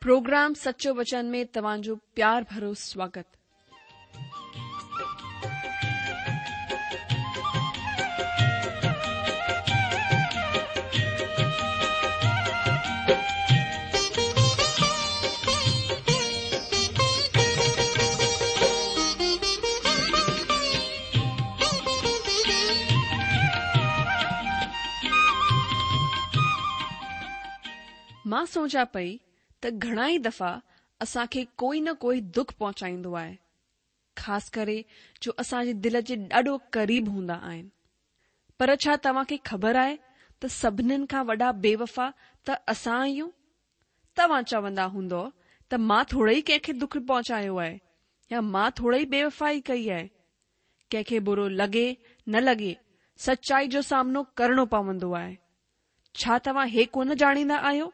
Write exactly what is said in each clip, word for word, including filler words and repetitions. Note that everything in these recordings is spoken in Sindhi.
پروگرام سچو وچن ۾ توهان جو پيار ڀرو سواگت. مان سوچان پئي ته گهڻا ئي دفعا اسان کي ڪوئي نه ڪوئي دک پهچائيندو آهي، خاص ڪري جو اسان جي دل جي ڏاڍو قريب هوندا آهن. پر ڇا توهان کي خبر آهي ته سڀنين کان وڏا بيوفا ته اسان آهيون؟ توهان چوندا هوندؤ ته مان ٿورو ئي ڪنهن کي دک پهچايو آهي يا مان ٿورو ئي بيوفائي ڪئي آهي. ڪنهن کي برو لڳي نه لڳي، سچائي جو سامنو ڪرڻو پوندو آهي. ڇا توهان هي ڪونه ڄاڻيندا آهيو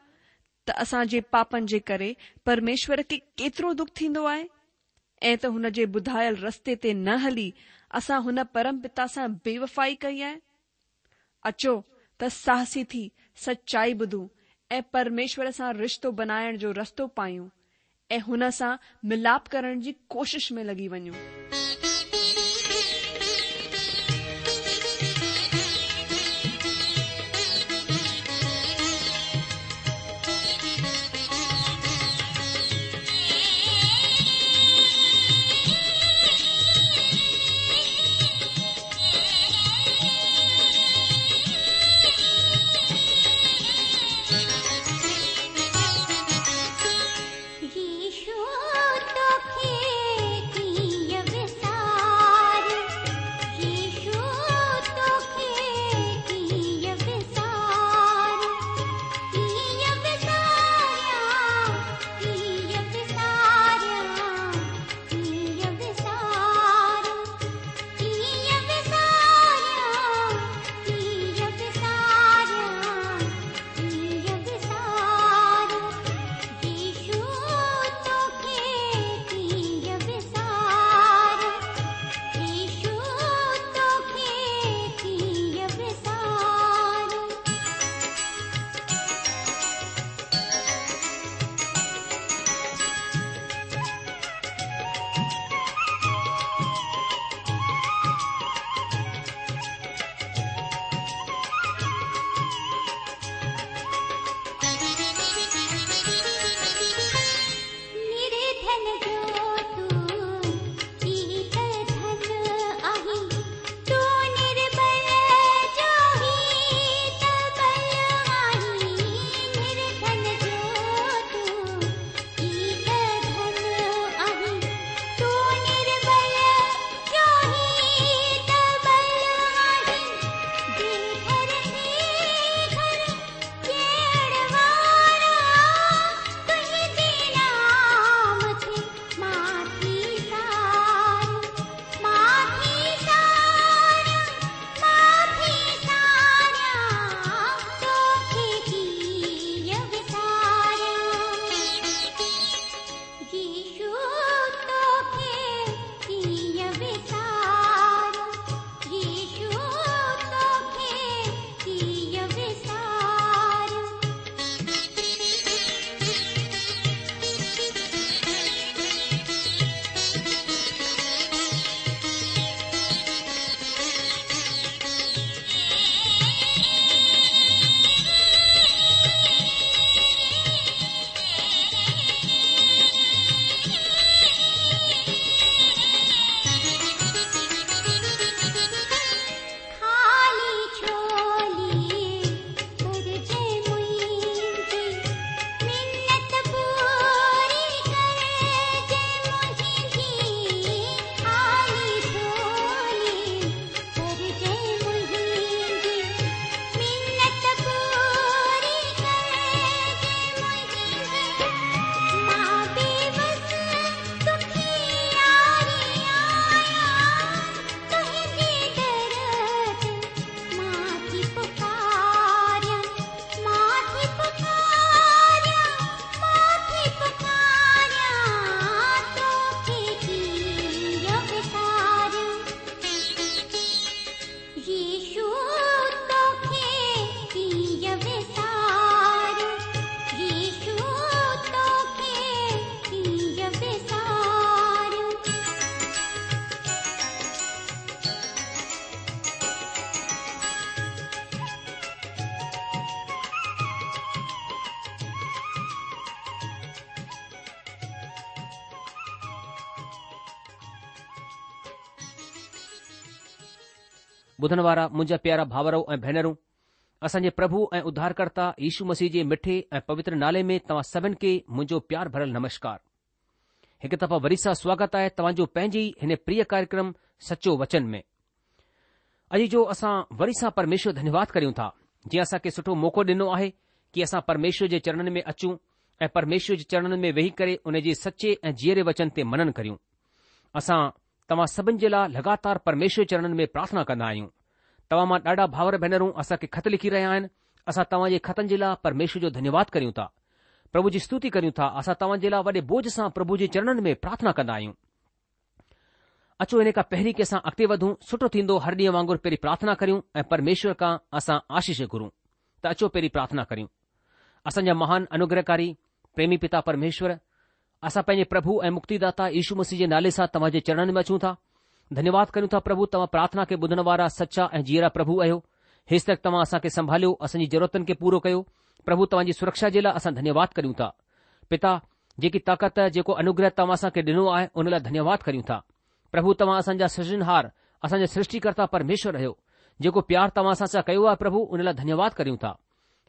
ته اسان جي پاپن جي ڪري پرميشور کي ڪيترو دک ٿيندو آهي ۽ ته هن جي ٻڌايل رستي تي نه هلي اسان هن پرم پتا سان بيوفائي ڪئي آهي؟ اچو ته ساهسي ٿي سچائي ٻڌون ۽ پرميشور سان رشتو بنائڻ جو رستو پايون ۽ هن سان ملاپ ڪرڻ جي ڪوشش ۾ لڳي وڃون. يشو توکي ڪيئن وساريان. ٻڌڻ وارا منهنجا پيارا ڀائرو ۽ ڀينرون، اسان جي پرڀو ۽ اڌارڪرتا يشو مسيح جي مٺي ۽ پوتر نالي ۾ توهان سڀن کي منهنجو پيار ڀريل نمشڪار. هڪ دفعا وري سان سواگت آهي توهان جو پنهنجي ئي هن پريه ڪاريڪرم سچو وچن ۾. اڄ جو اسان وري سان پرميشور ڌنيواد ڪريون ٿا جنهن اسان کي سٺو موقعو ڏنو آهي ڪي اسان پرميشور جي چرڻن ۾ اچون ۽ پرميشور جي چرڻن ۾ ويهي ڪري ان جي سچي ۽ جيئري وچن تي منن ڪريون. اسان توهان سڀن جي لاء لڳاتار پرميشور چرڻن ۾ پرارٿنا ڪندا آهيون. توهان مان ڏاڍا ڀائر ڀينرون اسان کي خط لکي رهيا آهن. اسان توهان جي خطن جي لاء پرميشور جو ڌنيواد ڪريون ٿا. پرڀو جي ستوتي ڪريون ٿا. اسان توهان جي لاء وڏي بوجه سان پرڀو جي چرڻن ۾ پرارٿنا ڪندا آهيون. اچو ان کان پهرين ڪي اسان اڳتي وڌون، سٺو ٿيندو هر ڏينهن وانگر پهرين پرارٿنا ڪريون ۽ پرميشور کان اسان آشيش گهرون. ته اچو پهرين پرارٿنا ڪريون. اسان جا مهان انوگرهڪاري پريمي پتا پرميشور، اسان پنهنجي پرڀو ۽ مڪتيداتا يشو مسيح جي نالي سان توهان جي چرڻن ۾ اچون ٿا. ڌنيواد ڪريون ٿا پرڀو توهان پرارٿنا کي ٻڌڻ وارا سچا ۽ جيئرا پرڀو آهيو. هيستڪ توهان اسان کي سنڀاليو، اسان جي ضرورتن کي پورو ڪيو. پرڀو توهان جي سرڪشا جي لاء اسان ڌنيواد ڪريون ٿا. پتا، جيڪي طاقت، جيڪو انوگره توهان اسان کي ڏنو آهي ان لاء ڌنيواد ڪريون ٿا. پرڀو توهان اسان جا سرجنهار، اسان جا سرشٽيڪرتا پرميشور آهيو. جيڪو پيار توهان اسان سان ڪيو آهي پرڀو ان لاء ڌنيواد ڪريون ٿا.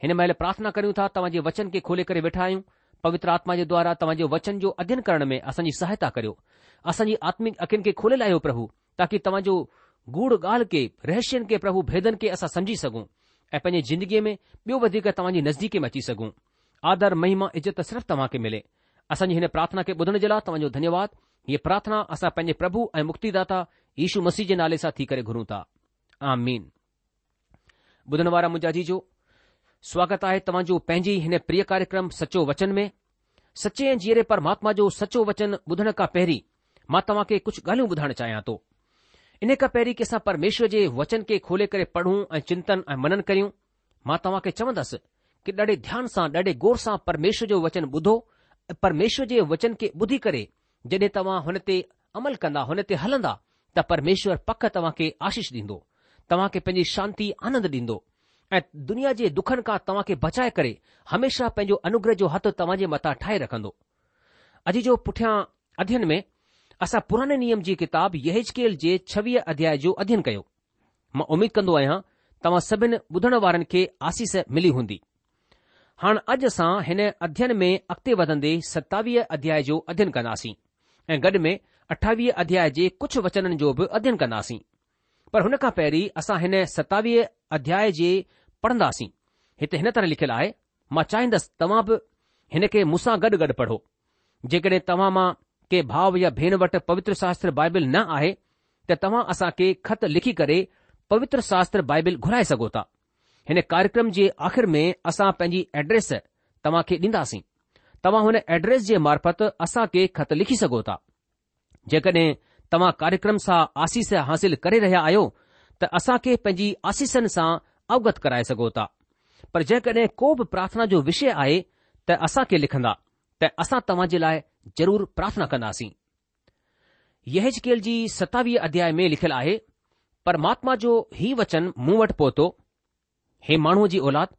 هن مهل پرارٿنا ڪريون ٿا توهان جي وچن کي کولي ڪري ويٺا آهيون. پوتر آتما جي دوارا توهان جي وچن جو اڌين ڪرڻ ۾ اسان جي سهائتا ڪريو. اسان جي آتمڪ اکين کي کولي لاهيو پرڀو تاڪي توهان جو گوڙ ڳالهه کي، رهسين کي پرڀو ڀيدن کي اسان سمجهي سگهون ۽ پنهنجي زندگيء ۾ ٻيو وڌيڪ توهان جي نزديڪي ۾ اچي سگهون. آدر، مهما، عزت صرف توهان کي ملي. اسان جي هن پرارٿنا کي ٻڌڻ جي لاء توهان جو ڌنيواد. هيء پرارٿنا اسان پنهنجي پرڀو ۽ مڪتيداتا يشو مسيح جي نالي سان ٿي ڪري گهرون ٿا. آمين. ٻڌڻ وارا منهنجا عزيزو، سواگت آهي توهان جو پنهنجي هن پريه ڪاريڪرم سچو وچن ۾. سچي ۽ جيئري پرماتما جو سچو وچن ٻڌڻ کان پهرين مان توهان کي ڪجهه ڳالهيون ٻڌائڻ چاهيان ٿو. ان کان پهرين ڪي اسان پرميشور جي وچن کي کولي ڪري پڙهون ۽ چنتن ۽ منن ڪريون، مان توهان کي چوندس ڪي ڏاڍي ڌيان سان ڏاڍي غور سان پرميشور جو وچن ٻڌو ۽ پرميشور جي وچن کي ٻڌي ڪري جڏهن توهان هن تي عمل ڪندا، هن تي هلندا ته پرميشور پڪ توهان کي آشيش ڏيندو، توهان کي پنهنجي شانتي آنند ڏيندو ۽ دنيا جي دکن کان توهان کي بچائي ڪري هميشه پنهنجو انوگره جو هٿ توهان جي مٿان ٺاهي رکندو. اڄ جو پٺيان اڌين ۾ اسان پراڻي نيم جي ڪتاب يحزقيل جي ڇويهه اڌياء جو اڌين ڪيو. مان اميد ڪندو آهيان توهان سڀن ٻڌڻ وارن کي آسيس ملي هوندي. هاڻ اڄ اسان هن اڌين ۾ اڳتي وڌندي ستاويهه اڌياء جو اڌين ڪنداسين ۽ گڏ ۾ اٺاويهه اڌياء جي ڪجهه وچنن جو به اڌين ڪنداسين. پر هن کان پهرين اسان هن ستاويهه اڌياء جي پڙهنداسين. هتي هن طرح لکيل آهي، مان چاهيندس توهان به هن کي مون سان گڏ گڏ پڙهو. جيڪڏهن توهان مان ڪي ڀاء يا ڀيڻ وٽ پوتر شاستر بائبل نه آهي ته توهان اسان کي خط لکي ڪري پوتر شاستر بائبل گهرائي سگهو ٿا. هن ڪاريڪرم جي آخر ۾ اسان پنهنجي ايڊريس توهان کي ڏينداسين. توهان هن ايڊريس جي معرفت اسان کي خط لکي سگهو ٿا. جيڪڏهن توهان ڪاريڪرم سان آسيس حاصل ڪري رهيا آهيو ته اسان کي پنهنجي آسيسن سان اوگت ڪرائي سگهو ٿا. پر جيڪڏهن ڪو به پرارٿنا جو وشي آهي ته اسان کي لکندا ته اسان توهان جي لاء ضرور پرارٿنا ڪنداسين. يحزقيل جي ستاويهه اڌياء ۾ لکيل آهي، پرماتما جو هي وچن مون وٽ پهتو، هي ماڻهوء جي اولاد،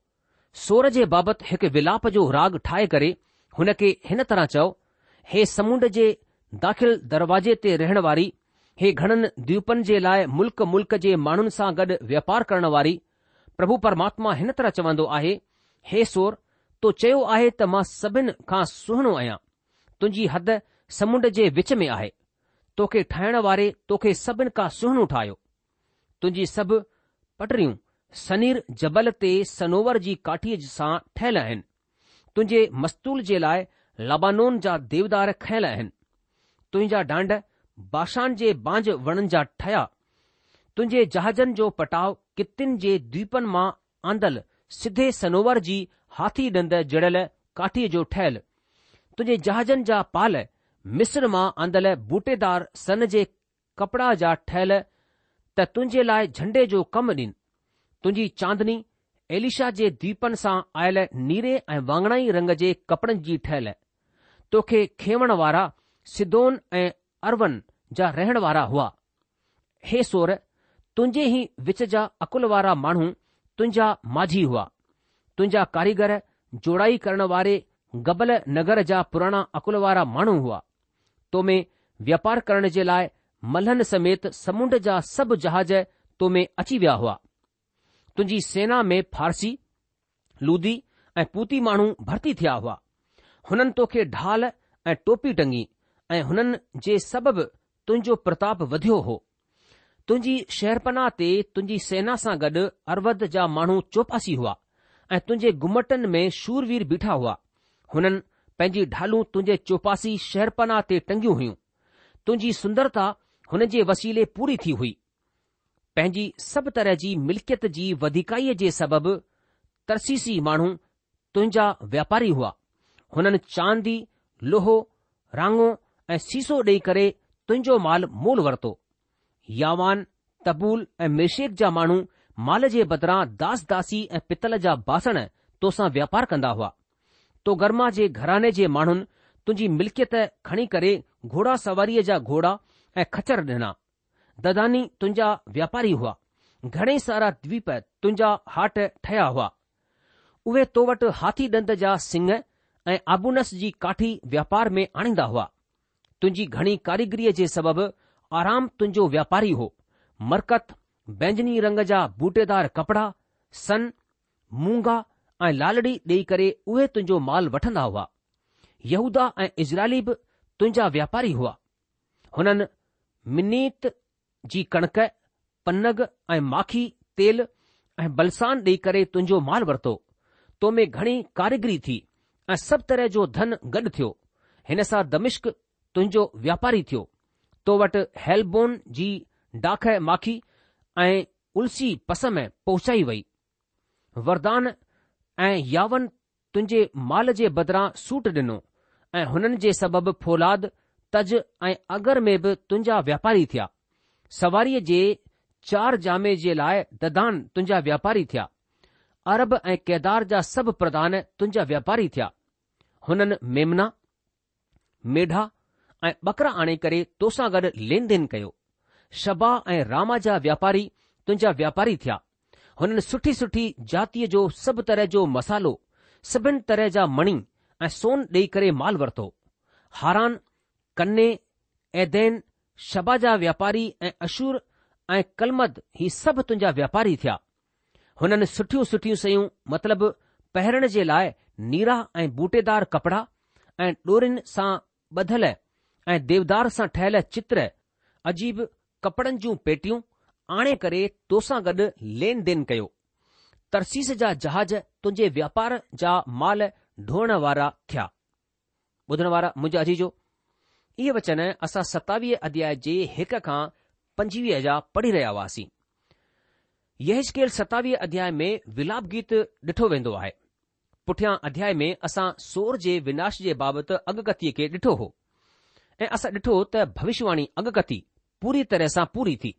سور جي بابت هڪ ولاپ جو راڳ ٺاهي ڪري هن کي هن طرح چئو، هي سمنڊ جي داخل دروازي تي رهڻ واري، هي گهڻن دويپن جي لاء ملڪ ملڪ جي ماڻهن سان گڏ واپار ڪرڻ واري، پرڀو پرماتما هن طرح چوندو آهي، هي سور، تو چيو آهي ته مان سڀن کان سهڻو آهيان، تنهنجي حد سمنڊ جي وچ ۾ آهي، توکي ٺاهڻ واري توکي سڀن کان سهڻو ٺاهيو. تنهنجي سڀ پٽريون سنير جبل تي صنوبر جي ڪاٺيء سان ٺهيل آهن. تنهنجي مستول جي لاء لبانون جا ديودار کنيل آهن. تنهنجا ڍانڍ باشان جي بانج وڻن جا ٺهيا. تنهنجي جهازن جو پٽاء ڪتين جي دويپن مان آندل سڌي صنوبر جي هاٿي ڏند جڙيل ڪاٺيء جو ٺهيل. تنهنجي جهازن جا پال مصر مان آندل بوٽيدار سن جي ڪپڙا جا ٺهيل ته تنهنجي لاء جهنڊي جو ڪم ڏين. تنهنجي چاندني ايليشا جي دويپن سان آيل نيري ۽ واڱڻائي رنگ جي ڪپڙن جي ٺهيل. توکي کيوڻ وارا سيدون ۽ ارون جا رهڻ وارا هئا. هي سور، تنهنجي ئي وچ جا عقل وارا ماڻهو تنهنجا ماجهي هئا. تنهنجا ڪاريگر جوڙائي ڪرڻ واري گبل نگر جا پراڻا عقل وارا ماڻهو هئا. تو ۾ واپار ڪرڻ جي لاء ملهن سميت سمنڊ جا سڀ جهاز تو ۾ اچي ويا هئا. تنهنجي سينا ۾ فارسي، لودي ۽ پوتي ماڻهو ڀرتي ٿيا هئا. هنن توکي ڍال ۽ ٽوپي ٽنگي ۽ هنن جي سبب تنهنجو پرتاپ وڌيو هو. تنهنجي شهرپناهه تي تنهنجي سينا سان گڏ ارود جا ماڻهو چوپاسي هئا ۽ تنهنجي گمٽن ۾ شوروير بيٺا هئا. هنن پنهنجي ڍالون تنهنجي چوپاسي شهرپناهه تي ٽنگيون هيون. تنهنجي سندرتا هن جي وسيلي پوري ٿي هئي. پنهنجي سڀ طرح جي ملڪيت جي وڌيڪائيء جي سبب ترسيسي ماڻهو تنهنجا واپاري هئا. هنن چاندي، لوهو، راڱو ۽ سيسو ڏيئي ڪري تنهنجو مال مول ورتو. ياوان، تبول ۽ ميشيڪ جا ماڻهو مال جي بدران داس داسي ۽ پتل جا باسڻ توسان واپار ڪندا هئا. توگرما جي گهراڻي جي ماڻهن تنهنجي ملڪيت کڻي ڪري گهوڙا سواريء جا گهوڙا ۽ خچر ڏنا. دداني تنهنجا واپاري هئا. گهڻي سارا دويپ تنهنجا هاٽ ٺهيا هئا. اهي تو وٽ هاٿي ڏند جا سڱ ۽ آبونس جي ڪاٺي واپار ۾ آڻيندا هئا. تنهنجي گهڻي ڪاريگريء جي سبب ارام تنهنجو واپاري هو. مرڪت، بينجني رنگ جا بوٽيدار ڪپڙا، سن، مونگا ۽ لالڙي ڏيئي ڪري اهي تنهنجو مال وٺندا هئا. يهوداه ۽ اسرائيلي به تنهنجا واپاري هئا. هنن منيت جي ڪڻڪ، پنگ ۽ ماکي، تيل ۽ بلسان ڏيئي ڪري تنهنجو مال ورتو. تو ۾ گهڻي ڪاريگري ٿي ۽ سڀ طرح جو ڌن گڏ ٿيو. هن سان دمشق تنهنجو واپاري ٿيو. تو وٽ حيلبون جي ڊاک ماکي ۽ السي پسم پهچائي وئي. وردان ۽ ياون تنهنجي مال جي بدران سوٽ ڏنو ۽ هنن جي سبب فولاد، تج ۽ اگر ۾ به تنهنجا واپاري ٿيا. سواريء جي چار جامي جي لاء ددان تنهنجا واپاري ٿيا. عرب ۽ قيدار جا سڀ پرڌان تنهنجا واپاري ٿيا. هنن ميمنا، ميڍا ۽ ٻڪرا آڻي ڪري توسان گڏ لين دين ڪيو. شبا ۽ راما جا واپاري تنهنجا واپاري ٿيا. هنن سٺي سٺي جاتيء جو سڀ طرح جو مصالحو، سڀن طرح جا مڻي ۽ سون ڏيئي ڪري مال ورتو. هاران، ڪني، ايدين، شبا جا واپاري ۽ اشور ۽ ڪلمد هي سڀ تنهنجا واپاري ٿيا. هنن سٺيون سٺيون شيون مطلب پهرڻ جي لاء نيرا ۽ بوٽيدار ڪپڙا ۽ ڏورين سان ٻڌل ۽ ديودار سان ٺهيل چتر، عجيب ڪپڙن جون پيٽيون آڻي ڪري توسان گڏ لين دين ڪيو. ترسيس جا جهاز تنهنجي واپار جا مال ڍوئڻ وارا ٿيا. ٻڌڻ وارا منهنجا عزيزو، اهي وچن اسان ستاويهه اڌياء جي هڪ کان پنجويهه جا پڙهي رهيا هئاسين. يحزقيل ستاويهه اڌياء ۾ ولاپ گيت ڏٺو ويندو آهي. پٺيان اڌياء ۾ اسان سور جي وناش جي بابت اڳڪٿيء کي ڏٺو هو ۽ اسان ڏٺو ته ڀوشواڻي اڳڪٿي پوري طرح سان پوري ٿي.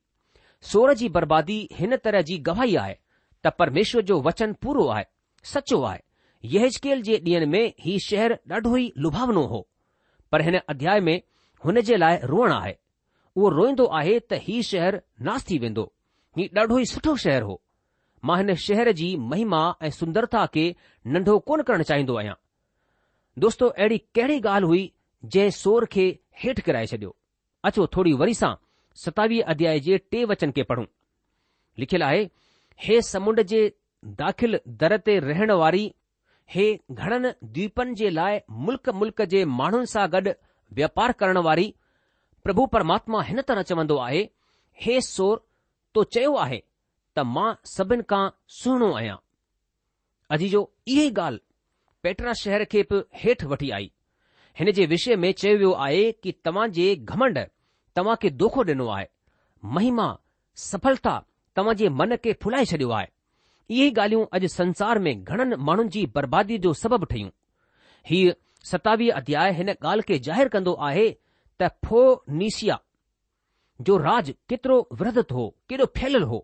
سور جي بربادي هن طرح جي گواهي آهي ته پرميشور جو وچن پورو آهي، سچو آهي. يحزقيل جي ڏينهن ۾ هي شهر ڏاڍو ئي لڀاونو هو، پر هن اڌياء ۾ هن جي لاء روئڻ آهي. اهو روئيندو آهي ته هي شهر ناس ٿي ويندو. هي ڏاڍو ئي سٺو شهر هو. مان هن شهر جي مهما ۽ سندرتا کي ننڍو ڪونه ڪرڻ چاهيندو آهيان. دوستو اهڙي ڪهڙي ڳالهه هئي جنهن سور کي هيٺ ڪرائي ڇڏيو؟ اچو ٿوري وري سان ستاويهه اڌياء جي ٽي وچن کي پڙهون. لکيل آهي، هي سمنڊ جي داخل در تي رهڻ واري، هي گهڻن دويپن جي لاء ملڪ ملڪ جي ماڻهن سان گڏ واپار ڪرڻ واري، پرڀو پرماتما هن طرح چوندو آهي، هي سور تو چيو آهي ته مان سڀن کان سهڻو آهيان. عزيزو اها ئي ڳالهه پيٽرا شهر کي به هيٺ وٺي آئي. هن جي وشي ۾ چيو ويو آهي ڪي توهان جي گهمنڊ توهان کي دوکو ڏنو آهي. مهما، سڦلتا توهان جي من کي ڦلائي ڇڏيو آهي. اهي ئي ڳالهيون اڄ سنسار ۾ گهڻن ماڻهن جي برباديء جو سبب ٺهيون. هيء ستاويهه اڌياء هن ڳالهه کي ظاهر ڪندو آهي ته فونيشيا جو راڄ ڪيترو ورڌت هو، ڪيڏو ڦهليل هو.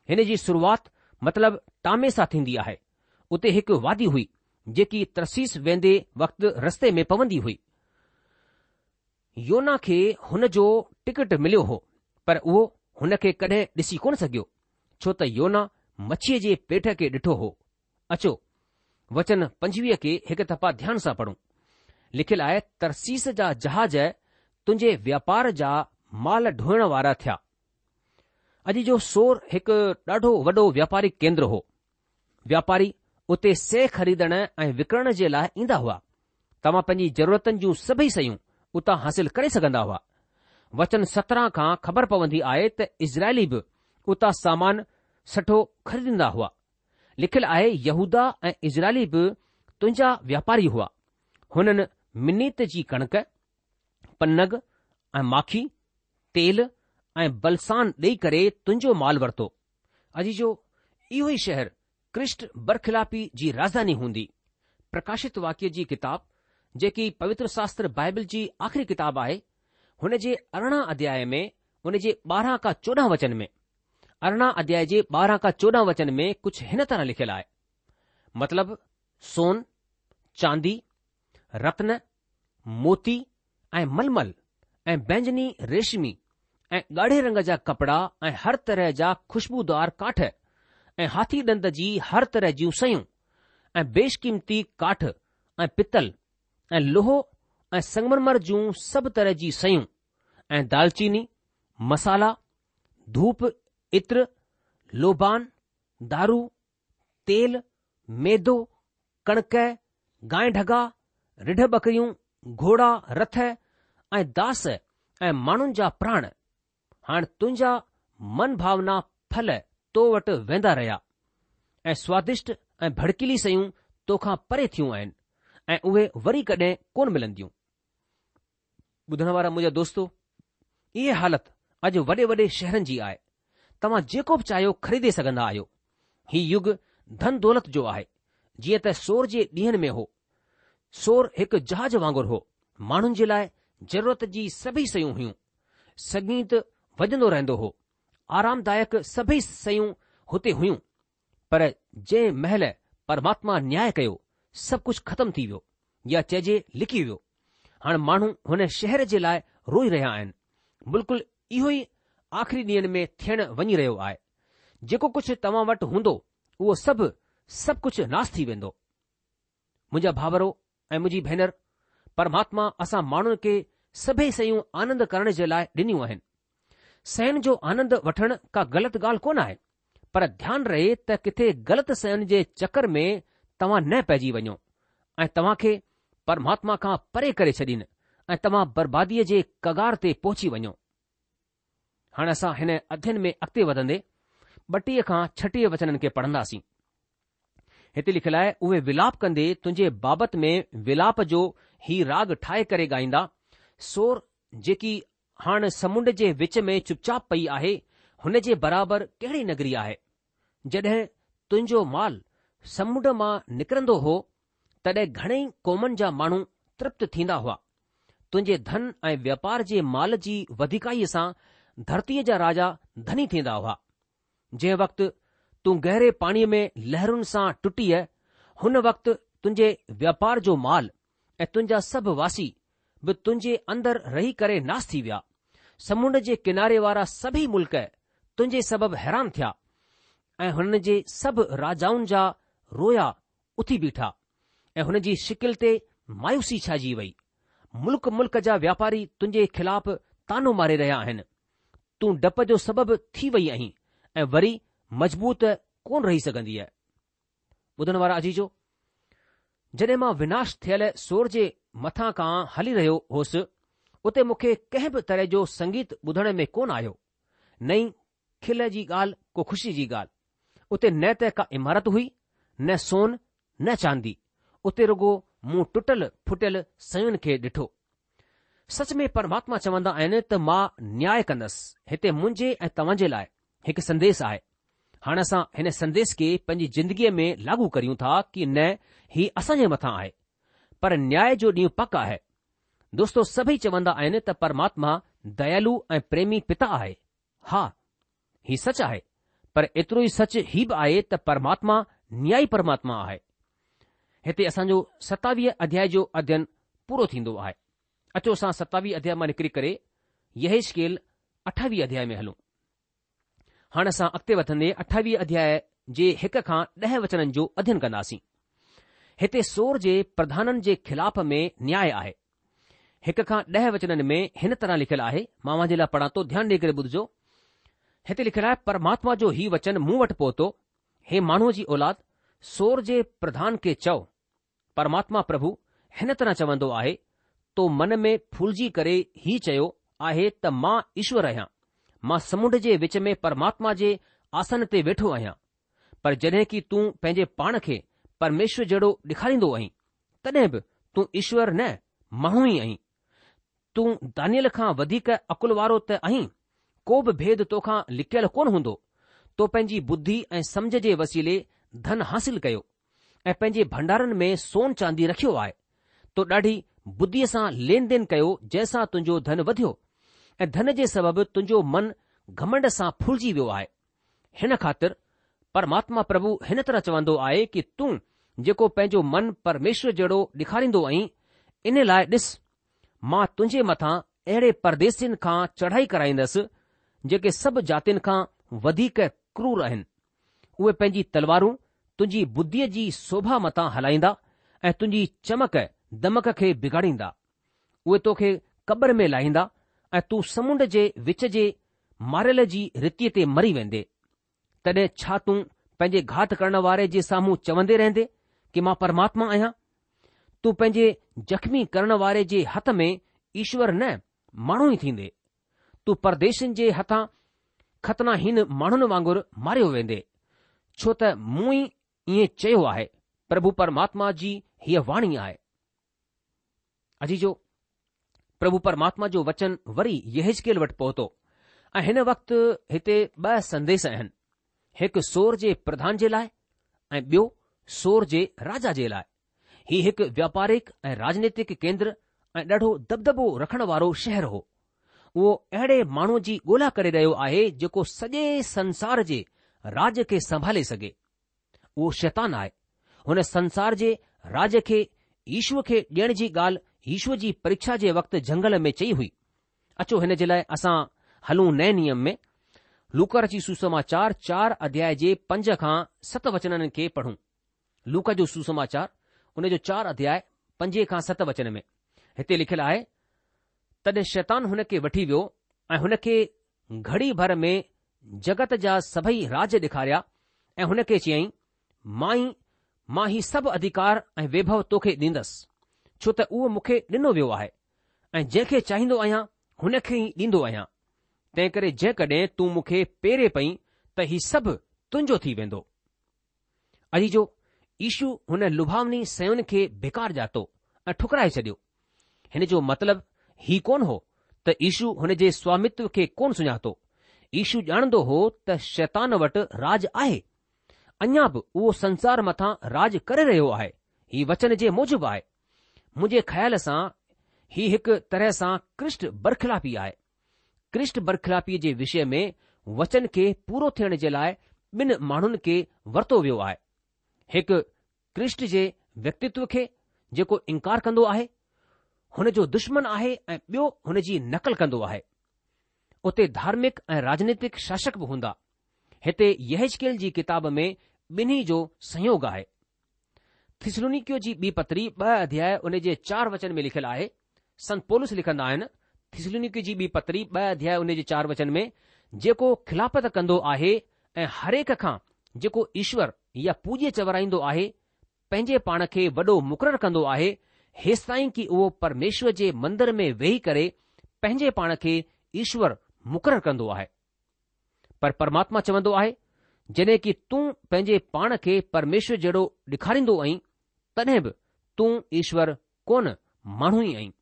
هن جي شروعات مطلب ٽامي سان ٿيندي آهي. اتي هڪ وادي هئي، جيڪي ترسيس ويندي وقت رستي ۾ پوندي هئي. يونا کي هن جو ٽڪٽ مليو هو، پر اهو هن کي ڪڏهن ڏسي ڪونه سگهيو، ڇو ته يونا مڇيء جي پيٽ کي ڏٺو هو. اچو، وچن پنجويهه کي هڪ دفعا ڌيان سان پڙهون. لکيل آهي، ترسيس جا جهاز تنهنجي واپار جا مال ڍوئڻ وارا ٿيا. اڄ جو سور هڪ ڏاڍو وڏو وياپاري ڪيندر هو. وياپاري اتي شئي خريدڻ ۽ وڪڻڻ جي لاء ايندا هئا. توهان پنهنجي ضرورتن جون سڀئي شيون اتان حاصل ڪري سگهندا هئا. وچن سترهن کان خبر پوندي آهي ته اسرائيلي به اتان سامان سٺو خريدندا هئا. لکيل آهي يهوداه ۽ اسرائيلي به تنهنجا وياپاري هئا. هنن منيت جي ڪڻڪ، پنگ ۽ ماکي، تيل ۽ بلسان ڏيئي ڪري تنهنجو مال ورتو. عزيزو، اهو ئي شهر ڪرسٽ برخلافي جي راڄڌاني هوندي. پرڪاشت واڪيه جي ڪتاب جيڪي پوتر شاستر بائبل جي آخري ڪتاب آهي، هن جي ارڙهن اڌياء ۾ ان جي ٻارهن کان چوڏهن وچن ۾، ارڙهن اڌياء جي ٻارهن کان چوڏهن وچن ۾ ڪجهه هن طرح لکيل آهي، مطلب سون، چاندي، رتن، موتي ۽ ململ ۽ بينجني ريشمي ۽ ڳاڙهي رنگ جا ڪپڙا ۽ هر طرح جا خوشبودار ڪاٺ ۽ هاٿي ڏند جي هر طرح جون شيون ۽ بيشقيمتي ڪاٺ ۽ پتل ۽ لوهو ۽ سنگمرمر جون سڀ طرح جي شيون ۽ دالچيني، مصالحا، ڌوپ، عطر، لوبان، دارو، تيل، ميدو، ڪڻڪ، گانء ڍڳا، رڍ ٻڪريون، گهوڙا، رٿ ۽ داس ۽ ماڻهن جا پراڻ. هاڻ تنهنجا من ڀاونا ڦل تو وٽ ويندا رهيا ۽ سوادشٽ ۽ ڀڙڪيلي شيون توکان پري ٿيون آهن ۽ اهي وري ڪڏهن ڪونه ملنديون. ٻڌڻ وارا منهنجا دوستو، اها حالت اڄ وڏي وڏي شهرن جي آهي. توهان جيڪو به چاهيو خريدي سگهندا آهيو. هي يگ ڌن دولت جو آهي، جيئن ته سور جي ڏينهن ۾ هو. سور هڪ جهاز وانگر هو. ماڻهن جي لاء ضرورت جي سڀئي شيون هيون. سنگيت وڄندو رهندو هو. آرامدائڪ سڀئي شيون هتي هيون. پر جنهن مهل پرماتما نياء ڪيو، سڀ ڪجهه ختم ٿي ويو يا چئجي لڪي ويو. هاڻ ماڻهو هن شهر جي لاء روئي رهيا آهن. بلڪل اهو ئي آخري ڏينهن ۾ ٿيڻ وڃي رهيو آهي. جيڪو ڪجهه توهان وٽ هوندو، اهو سڀ سڀ ڪجهه ناس ٿي ويندو. منهنجا ڀائرو ۽ منهنجي ڀينر، پرماتما اسان ماڻهن کي سڀئي شيون آنند ڪرڻ جي لاء ڏنيون آهن. شين جو آنند وٺڻ ڪا غلط ڳالهه ڪونه آهي، پر ڌيان رهي ته ڪٿي غلط شين جي چڪر ۾ توهان نه پئجي وڃو ۽ توهان کي پرماتما کان پري ڪري ڇڏين ۽ توهان برباديء جي ڪگار تي پهچي وڃو. هاڻ اسان هن اڌين ۾ اڳتي وڌندي ٻٽيهه کان ڇٽيهه وچنن کي پڙهنداسين. هتي لکيل آهي، اهي ولاپ ڪندي تنهنجي بابت ۾ ولاپ جو هي راڳ ٺاهي ڪري ڳائيندا، سور جيڪي هاڻ سمنڊ جي وچ ۾ چپ چاپ پئي آهي، هن جي برابر ڪهڙي نگري آهي؟ جڏهن تنهنجو مال سمنڊ مان نڪرندو هو، تڏهن گهڻئي قومن جا ماڻهو ترپت ٿيندا هئا. تنهنجي ڌن ۽ واپار جي مال جي وڌيڪائيء سان ڌرتيء جا راجا ڌني ٿيندا هئا. جنهن وقت تون گهري پاڻيء ۾ لهرن سان ٽٽيء، هن وقت تنهنجي واپار جو مال ۽ تنهنجا سڀ واسي به تنهنجي اندر رهي ڪري ناس ٿي ويا. سمنڊ جي ڪناري وارا سڀئي ملڪ تنهنجي سبب حيران ٿيا ۽ هنن جي سڀ راجائن جا رويا اٿي بيٺا ۽ هن جي شڪل تي مايوسي ڇائجي وئي. ملڪ ملڪ جا واپاري تنهنجي خلاف طعنو ماري رهيا آهن. تون ڊپ جو سبب ٿي وئي آهين ۽ وري مضبوط ڪونه رهي سگهندينء. ٻڌڻ وارا عزيزو! جڏهن مان وناش ٿيل سور جي مٿان کان هلي رهيو هوس، اتي مون کي ڪنهن به طرح جو سنگيت ٻڌڻ ۾ ڪونه آيو، نه ئي کل جي ڳالهه ڪو خوشي جي ڳالهه. اتي نه ته ڪا عمارت هئي، نه سون، نه چاندي، اتي رڳو مون ٽٽل ڦٽل شين کي ڏٺو. سچ ۾ پرماتما چوندا آهن ته مان نياء ڪندس، هتي منهنجي ۽ توهان جي لاء هڪ سنديش آهي. هاڻ اسان هن سنديش کي پنهنجي زندگيء ۾ لاڳو ڪريون ٿا ڪي نه هي اسان جي مٿان آهي. پر نياء جو ڏينهن پڪ آهي. دوستو سڀئي چوندا آهن ته پرماتما ديالو ۽ پريمي پتا آهي. ها، هي سچ آهي، پر ايترو ئي سچ هي به آهي ته پرماتما نيائي پرماتما آهي. هتي اسان جو ستاويهه اڌياء جو اڌين پورو ٿيندو آهي. اچو اسان ستاويهه اڌياء مان نڪري ڪري يحيزڪيل اٺاويهه اڌياء ۾ هلون. هاڻ اسان اڳتي وڌندي اٺاويهه اڌياء جي هڪ کان ڏهه وچنن جو اڌين ڪنداسين. هتي سور جي پرڌانن جي خلاف ۾ نياء آهي. هڪ کان ڏهه وچنن ۾ هن طرح لکيل آهي، مان اوهان جي لاء پڙهان ٿو، ڌيان ڏيئي ڪري ٻڌجو. هتي لکيل آهي، پرماتما جو هي وچن مون وٽ پهتو، هي ماڻهوء جي اولاد، سور جي پرڌان کي چئو، پرماتما پرڀو هن طرح چوندو آهي، تو من ۾ ڦولجي ڪري هي چيو آهي ته مان ايشور آهيان، مان سمنڊ جي وچ ۾ پرماتما جي آسن تي ويٺو آهيان. پر جڏهن ڪي تون پنهنجي پاڻ کي پرميشور جهڙو ڏيکاريندو آهين، تڏهن به تون ايشور نه، ماڻهو ئي آهين. تون دانيئل کان وڌيڪ عقل وارو ته آهين، ڪو به ڀيد توکان لڪيل ڪونه هوندو. تو پنهنجي ٻڌي ۽ سمجهه جي وسيلي ڌن حاصل ڪيو ۽ پنهنجي ڀنڊارن ۾ سون چاندي رکيو آهي. تو ڏاڍي ٻڌيء سان لين دين ڪيو جنهن سان تنهنجو ڌن وڌيو ۽ ڌن جي سبب تنهنجو من گهمنڊ سان ڦولجي ويو آهي. هن خاطر پرماتما پرڀو هن طرح چوندو آهي ڪي تون جيڪو پنهنجو من پرميشور جهڙو ڏيکاريندو آهين، ان لاء ڏس، مان تنهنجي مٿان اهڙي پرديسين کان چڙهائي ڪرائيندس، جيڪي سڀ جاتين کان وڌيڪ ڪرور آهن. اهي پنهنجي تلوارون تنهنجي ٻڌيء جي شوڀا مٿان هلائيندا ۽ تنهنجي چمڪ دمڪ کي بگاڙيندا. اهي توکي قبر ۾ لاهيندا ۽ تون سمنڊ جي وچ جي ماريل جي ريتيء تي مري ويندي. تڏهن ڇا تون پنهنجي گهات ڪرڻ واري جي سامهون چوندي رهندي ڪي مان پرماتما آهيان؟ تون پنهنجي زخمي ڪرڻ واري جي هٿ ۾ ايشور نه ماڻهو ئي ٿيندي. تون پرديسين جي هٿان ختناهين ماڻهن وانگر ماريو ويندي، ڇو ته مون ئي ائين چيو آهي، پرڀو پرماتما جي هيء واڻي آهي. عزيزو، پرڀو پرماتما جو وچن وري يحزقيل وٽ پهتو ۽ هن وقت هتي ٻه سنديش آهن، هڪ سور جي پرڌان جي لاء ۽ ٻيو سور جي راجا جي لاء. هي هڪ وياپارڪ ۽ راجنيتڪ ڪيندر ۽ ڏاڍو دٻدٻو رکڻ وارو شهر هو. اهو اهڙي ماڻهوء جي ڳولا ڪري رهيو آهي جيڪو سڄي سنسار جي راڄ کي سنڀالي سگهي. اهو شيطان آهي. هن سنسار جي راڄ کي يشوء کي ڏيڻ جي ڳالهه يشوء جي پريکشا جي وقت جهنگل ۾ چئي هئي. اچو هن جي لاء اسان هلون نئين نيم ۾. لوڪا رچي سوسماچار چار اڌياء جي پنج کان ست وچنن کي پڙهون. لوڪا جو سوسماچار ان جو چار اڌياء پنجين کان ست وچن ۾ هتي لکيل آهي، تڏهن شيطان هن کي وٺي ويو ۽ هن کي گهڙي ڀر ۾ جڳت جا سڀئي راڄ ڏيکاريا ۽ هن کي چيائين، مان ئي مان هي سڀ اڌڪار ۽ ويڀو توکي ڏيندس، ڇو ته اهو مون کي ڏنو ويو آهي ۽ جنهن کي چاهيندو آهيان هن کي ئي ڏيندو آهيان. تنهنڪري جيڪڏهن تون مون کي پيري پئين ته هي سڀ تنهنجو ٿي ويندو. عزيزو، يشو هن لڀاوني شين کي بيڪار ڄاتو ۽ ٺڪرائي ڇڏيو. هن جو مطلب هي ڪونه هو ته يشو هن جي سوامتو کي ڪونه سڃاتو. يشو ڄاڻندو هو ته شيطان وٽ راڄ آهي. اڃا به اهو سنسار مٿان راڄ ڪري رهيو آهي. هي وچن جي موجب آهي. منهنجي خيال سان هي هڪ طرح سان ڪرسٽ برخلافي آهي. ڪرسٽ برخلافيء جي وشي ۾ وچن کي پورو ٿيڻ جي لاء ٻن ماڻهن کي ورتو ويو آهي. هڪ ڪرسٽ جي ويڪتتو کي جيڪو انڪار ڪندو آهي، هن جو دشمن آهي ۽ ٻيو هن جي نقل ڪندو آهي. اتي ڌارمڪ ۽ راجنيتڪ شاسڪ به هوندا. هتي يحزقيل جي ڪتاب ۾ ٻنهي جو سنيوگ آهي. ٿسلونيڪيو جي ٻي پتري ٻه اڌياء ان جي چار وچن ۾ لکيل آهي، سنت پولس لکندا آهن، ٿسلونيڪيو جي ٻي پتري ٻه اڌياء ان جي چار وچن ۾، جيڪو خلافت ڪندو آهي ۽ هرهڪ کان جيڪو ايشور يا پوڄيه چورائيندو آهي، پنهنجي پاڻ کي وڏو مقرر ڪندو آهي، هيستائين ڪي اهو پرميشور جي مندر ۾ ويهي ڪري پنهنجي پاڻ کي ايشور مقرر ڪندو آهي. پر پرماتما چوندو آهي، جڏهن ڪي تون پنهنجي پاڻ کي پرميشور جهڙو ڏيکاريندو آهين، تڏهن به تون ايشور ڪونه ماڻهو ئي آهين.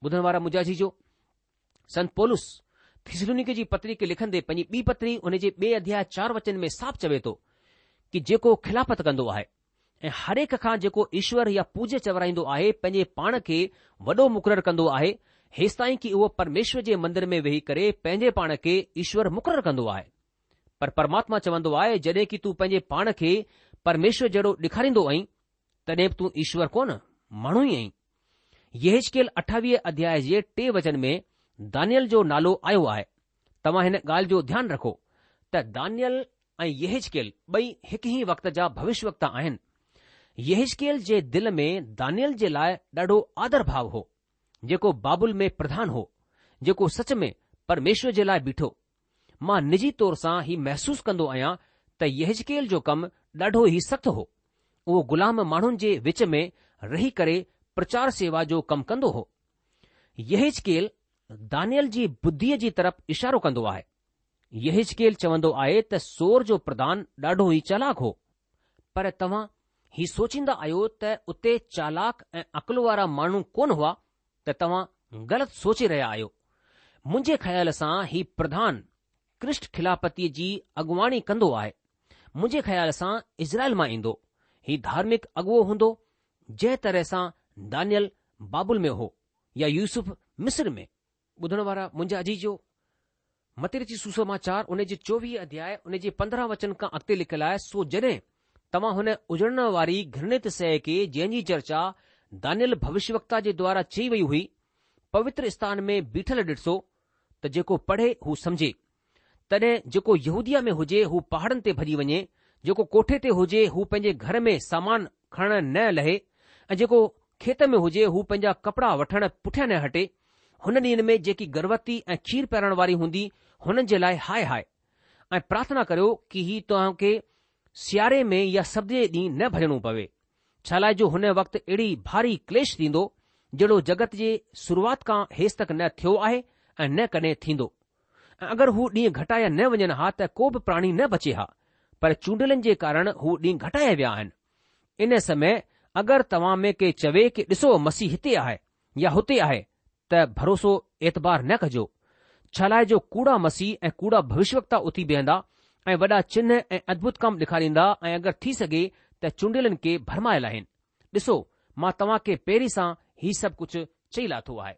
ٻڌڻ وارا منهنجا عزيزو، سنت پولس ٿسلونيڪي جي پتري کي لکندي پنهنجي ٻي پتري ان جي ٻئي اڌياء چار وچن ۾ صاف چوي ٿو ڪي جيڪو خلافت ڪندو آهي ۽ هرهڪ کان جيڪو ايشور يا پوڄيه چورائيندو آهي پنهنجي پاڻ کي وڏو مقرر ڪندو آهي هيستائين ڪي اهو پرميشور جي مندر ۾ ويهي ڪري پنهنجي پاڻ کي ايشور مقرر ڪندو آهي. پر پرماتما چوندو آهي جڏهن ڪي تون پنهنجي پاڻ کي پرميشور جهڙو ڏيکاريندو آهين تڏهن به تون ايشور ڪونه ماڻهو ئي آهين. يحزقيل اٺاويهه اڌياء جي ٽي وچن ۾ دانيئل جو نالو آيو آهي. توهان هن ڳالهه جو ڌيان رکو ته دانيئل ۽ يحزقيل ٻئي هڪ ئي وقت جا ڀوشيوڪتا آهن. يحزقيل جي دل ۾ دانيئل جي لاء ڏاڍو آدر ڀاو هو، جيڪو بابل ۾ پرڌان هو، جيڪو سچ ۾ پرميشور جي لاء بيٺو. مان نجي طور سان هي محسوس ڪندو آهيان ته يحزقيل جو ڪم ڏاڍو ئي سخت هو. اهو غلام ماڻهن جي وچ ۾ رهي ڪري پرچار سيوا جو ڪم ڪندو هو. يحزقيل دانيل جي ٻڌيء جي طرف اشارو ڪندو آهي. يحزقيل چوندو آهي ته سور جو پرڌان ڏاڍو ئي چالاڪ هو. پر توهان هي سوچيندا آهيو ته اتي چالاڪ ۽ عقل وارا ماڻهو ڪونه هئا ته توهان غلط سوچي رهيا آهيو. منهنجي خيال سان هي پرڌان ڪرسٽ خلافتيء جي اڳواڻي ڪندو آهي. منهنجي خيال سان اسرائيل مان ايندو. هي ڌارمڪ اڳوو هوندو جنهن طرح سان دانيل بابل ۾ هو يا يوسف مصر ۾. ٻڌڻ وارا منهنجا عزيزو، متي رچت سوسماچار ان جي چوويهه اڌياء ان جي پندرهن وچن کان اڳتي لکيل آهي، سو جڏهن توهان هن اجڙڻ واري گهرڻت شيء کي جنهن جي چرچا دانيل ڀوشيوڪتا جي دوارا چئي وئي هئي، پوتر اسٿان ۾ بيٺل ڏسو ته جيڪو پڙهي هو سمجهي. تڏهن جيڪو يهوديه ۾ هجي هو پهاڙن تي ڀڄي وڃي، جيڪو ڪوٺي تي هجي هو پنهنجي گهر ۾ سامان کڻڻ نه لهي ۽ جيڪو کيت ۾ هجي هو پنهنجا ڪپڙا وٺڻ پٺيان نه هٽي. هن ڏينهن ۾ جيڪي گرڀوتي ۽ کير پيارڻ واري هوندي هنن جي لاء هاء هاء. ۽ پرارٿنا ڪريو ڪي هي توهان کي سياري ۾ يا سبت جي ڏينهن نه ڀڄڻو پوي، ڇالاء جو هن وقت اهڙي ڀاري ڪليش ٿيندو، جهڙو جڳت جي شروعات کان هيستڪ نه ٿيو آهي ۽ نه ڪڏهن ٿيندو. ۽ اگر هو ڏينهن گهٽايا نه وڃن ها ته ڪو به پراڻي نه بچي ها، پر چونڊيلن جي ڪارڻ هو ڏينهن گهٽايا ويا آهن. ان سمي اگر توهان ۾ ڪي چوي ڪي ڏسو مسيح هتي آهي يا هتي آهي ته ڀروسو اعتبار نه ڪجو، ڇالاء جو ڪوڙا مسيح ۽ ڪوڙا ڀوشيوڪتا اٿي بيهندا ۽ وڏا چنه ۽ ادڀت ڪم ڏيکاريندا ۽ اگر ٿي سگهي ته چونڊيلن کي ڀرمائي لاهين. ڏسو، مان توهان کي پهرين سان هي سڀ ڪجهه چئي لاٿو آهي.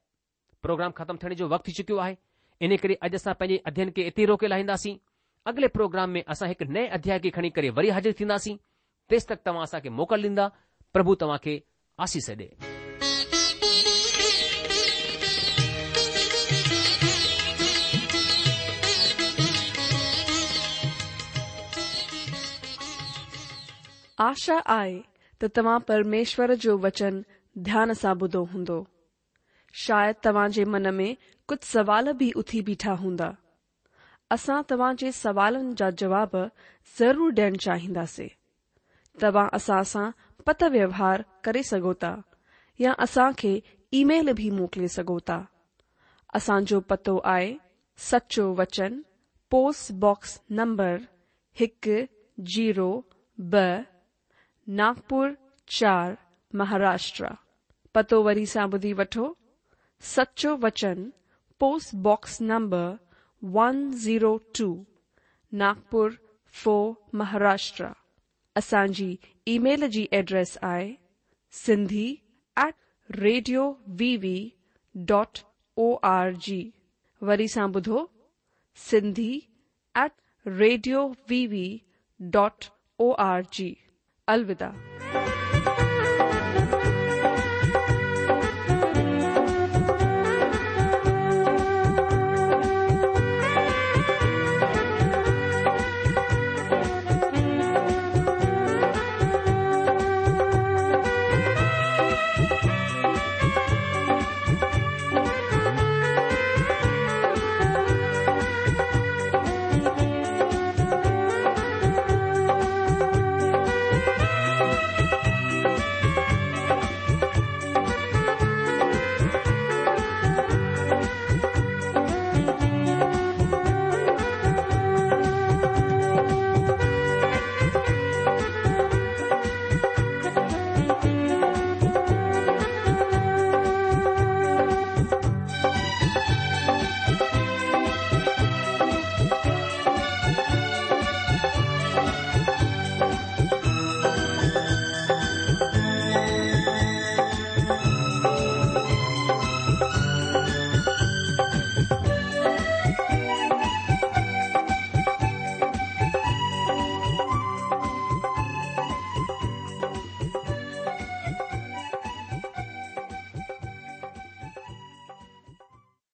پروگرام ختم ٿيڻ جو وقت ٿي چڪيو آهي، ان ڪري اڄ اسان پنهنجي اڌيين کي اتي روڪي لاهينداسين. اڳلي پروگرام ۾ اسان هڪ نئين اڌياء کي کڻي ڪري وري حاضر ٿينداسين. تيستڪ توهان اسان کي موڪل ڏيندا. پرڀو توهان کي آسيس ڏي. آشا آهي ته توهان پرميشور جو وچن ڌيان سان ٻڌو هوندو. شايد توهان جي من ۾ ڪجهه سوال به اٿي بيٺا هوندا. اسان توهان جي سوالن جا جواب ضرور ڏيڻ چاهينداسين. توهان اسان سان پتر ويوهار ڪري سگهو ٿا يا اسان کي اي ميل به موڪلي سگهو ٿا. اسان جو پتو آهي سچو وچن پوسٽ باڪس نمبر هڪ زيرو ٻه ناگپور چار مهاراشٽر. پتو وري سان ٻڌي وٺو، سچو وچن post box number one zero two Nagpur four Maharashtra. اسان جي اي ميل جي ايڊريس آهي Sindhi at radio V V dot O R G. وري سان ٻڌو Sindhi at radio V V dot O R G. الوداع.